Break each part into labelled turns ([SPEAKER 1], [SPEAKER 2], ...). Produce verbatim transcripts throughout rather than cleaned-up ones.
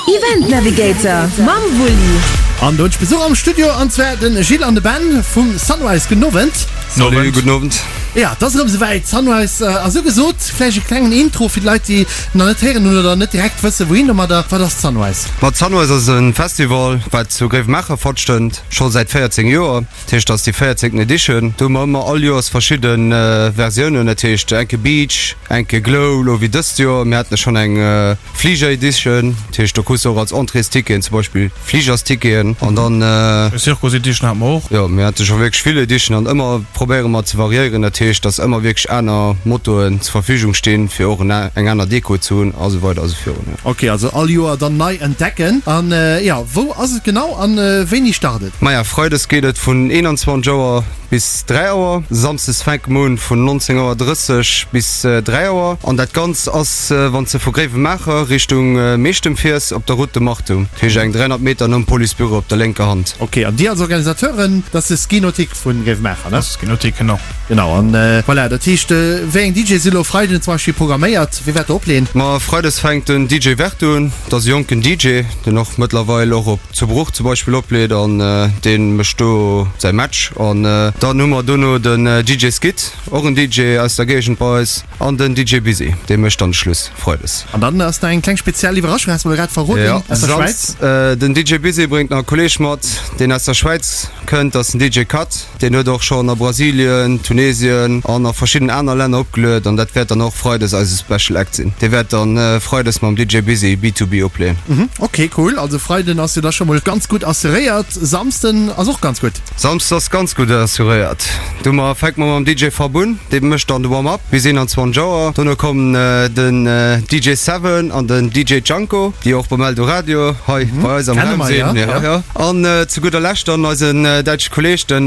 [SPEAKER 1] Event Navigator mam Wulli.
[SPEAKER 2] An do hunn ech Besuch am Studio, an zwar den Gilles an de Ben vum Sunrise. Gudden Owend.
[SPEAKER 3] Salut, gudden Owend.
[SPEAKER 2] Ja, et ass erëm esouwäit, Sunrise ass ugesot. Vläicht e klengen Intro fir d'Leit, déi nach net héieren hunn oder net direkt wëssen, wouhin domadder. Wat ass d'Sunrise?
[SPEAKER 3] Ma d'Sunrise ass e Festival, wat zu Gréiwemaacher stattfënnt, scho säit véierzéng Joer. Dat heescht, dat ass déi véierzéngten Edition. Do hu mer ëmmer all Joers verschidde Versiounen, dat heescht enke Beach, enke Glow, elo wéi dëst Joer. Mir haten schonn eng Fliger Edition, dat heescht do krus de och als Entréesticketen zum Beispill Fligersticketen an dann.
[SPEAKER 4] Eng Circus Edition hate mer och.
[SPEAKER 3] Jo, mir hate scho wierklech vill Editionen an ëmmer probéiere mer ze variéieren, dat heescht, dass ëmmer wierklech aner Mottoen zur Verfügung stinn, fir och eng aner Deko ze hunn a sou weider a sou virun, jo.
[SPEAKER 2] Ok, also all Joer dann nei entdecken. An jo, wou ass et genau an wéini start et?
[SPEAKER 3] Maja, Freides geet et vun eenanzwanzeg Auer bis dräi Auer, Samsdes fänke mer un vun nonzéng Auer drësseg bis dräi Auer an dat Ganzt ass, wann s de vu Gréiwemaacher Richtung Meechtem fiers, op der Route de Martum, dat heescht eng dräihonnert Meter nom Policebüro op der lénker Hand.
[SPEAKER 2] Ok, an dir als Organisateuren, dat ass de Ski Nautique vu Gréiwemaacher, ne?
[SPEAKER 4] Dat ass de Ski Nautique, genau.
[SPEAKER 2] Genau, an voilà, dat heescht, wéi eng D J si lo Freiden zum Beispill programméiert? Wie wäert do opleen?
[SPEAKER 3] Ma Freides fänkt den D J Vert un, dat ass e jonken D J, deen och mëttlerweil och op zu Bruch zum Beispill opleet an dee mécht do säi Match. An dann hu mer dono den D J Skit, och en D J aus der Géigend bei eis, an den D J Busy, dee mécht dann de Schluss Freides.
[SPEAKER 2] An dann ass nach eng kleng speziell Iwwerraschung, has mer grad verroden,
[SPEAKER 3] Jo,
[SPEAKER 2] aus der Schwäiz.
[SPEAKER 3] Den D J Busy bréngt nach e Kolleeg mat, deen aus der Schwäiz kënnt, dat ass den D J Cut. Deen huet och schonn a Brasilien, Tunesien an a verschidden aner Länner opgeluet an dat wäert dann och Freides eise Special Act sinn. Dee wäert dann Freides mam D J Busy B two B opleeën.
[SPEAKER 2] Ok, cool. Also Freiden ass jo da scho mol ganz gutt assuréiert. Samsden ass och ganz gutt.
[SPEAKER 3] Samsdes ass ganz gutt assuréiert. Do mer fänke mer mam D J Fab un, dee mécht dann de Warm-up bis eenanzwanzeg Auer. Dono kommen den D J Seven an den D J Janko, déi och beim Eldoradio hei bei eis am
[SPEAKER 2] Kenne
[SPEAKER 3] Raum
[SPEAKER 2] mer,
[SPEAKER 3] sinn.
[SPEAKER 2] ja.
[SPEAKER 3] Ja, ja. An zu gudder Lescht dann eisen däitsche Kolleeg, den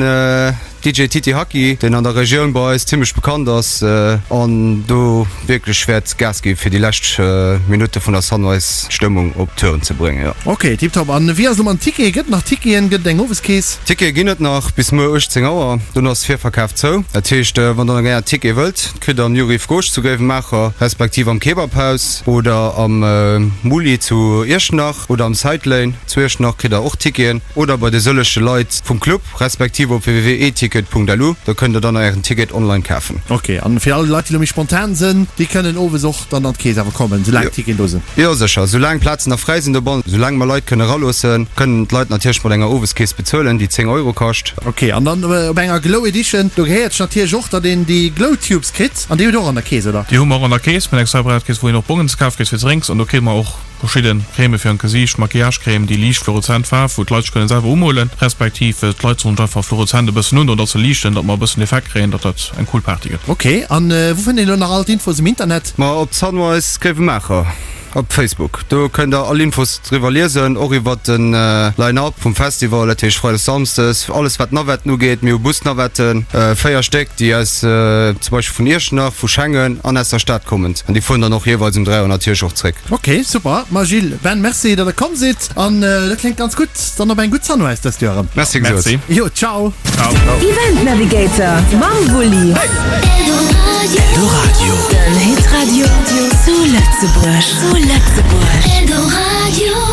[SPEAKER 3] D J Titi Haki, deen an der Regioun bei eis zimmlech bekannt ass an do wierklech wäert Gas gi fir déi lescht Minutte vun der Sunrise d'Stëmmung op Touren ze bréngen, jo.
[SPEAKER 2] Ok, tiptop. An wéi ass et elo mam Ticket? Gëtt et nach Ticketen? Gëtt et eng Oweskeess?
[SPEAKER 3] Tickete ginn et nach bis muer uechtzéng Auer, dono ass Virverkaf zou. Dat heescht, wann der nach gär en Ticket wëllt, kritt der am New Rive Gauche zu Gréiwemaacher, respektiv am Kebabhaus oder am Muli zu Iechternach oder am Sidelane zu Iechternach kritt der och Ticketen oder bei de sëllege Leit vum Club, respektiv op w w w punkt eticket punkt lu, do kënnt der dann ären Ticket online kafen.
[SPEAKER 2] Ok, an fir all Leit, déi elo méi spontan sinn, déi kënnen owes och dann an d'Keess awer kommen, soulaang d'Ticketen do sinn?
[SPEAKER 3] Jo, sécher, soulaang Plazen nach fräi sinn dobannen, soulaang mer Leit kënne eraloossen, kënnen d'Leit natierlech mat enger Oweskeess bezuelen, déi zéng Euro kascht.
[SPEAKER 2] Ok, an dann op enger Glow Edition, do gehéiert sech natierlech och, datt een déi Glow Tubes kritt, an déi hutt der och an der Keess, oder?
[SPEAKER 4] Déi hu mer och an der Keess, mir hunn eng separat Keess, wou een och Bongen ze kafe kritt fir Drinks, an do kritt mer och verschidde Crèmë fir an d'Gesiicht, Maquillage-Crème, déi liicht fluoreszent Faarf, wou d'Leit sech kënnen selwer umolen, respektiv d'Leit sollen sech einfach fluoreszent e bëssen undoen, datt se liichten, datt mer e bëssen Effekt kréien, datt dat eng cool Party gëtt.
[SPEAKER 2] Ok, an wou fënnt een elo nach all d'Infos um Internet?
[SPEAKER 3] Ma op Sunrise Gréiwemaacher op Facebook, do kënnt der all Infos driwwer liesen, och iwwer den Line-Up vum Festival, dat heescht Freides, Samsdes, alles wat d'Navetten ugeet. Mir hu Busnavetten, véier Stéck, déi aus zum Beispill vun Iechternach, vu Schengen an aus der Stad kommend, an déi fueren dann och jeeweils um dräi Auer natierlech och zréck.
[SPEAKER 2] Ok, super. Ma Gilles, Ben, merci, datt der komm sidd, an dat kléngt ganz gutt. Dann op eng gutt Sunrise dëst Joer erëm.
[SPEAKER 3] Merci gesot.
[SPEAKER 4] Merci.
[SPEAKER 2] Jo, ciao.
[SPEAKER 4] Ciao.
[SPEAKER 1] Event Navigator mam Wulli.
[SPEAKER 5] Eldoradio.
[SPEAKER 1] Den Hitradio zu Lëtzebuerg. Zu Lëtzebuerg.
[SPEAKER 6] Eldoradio.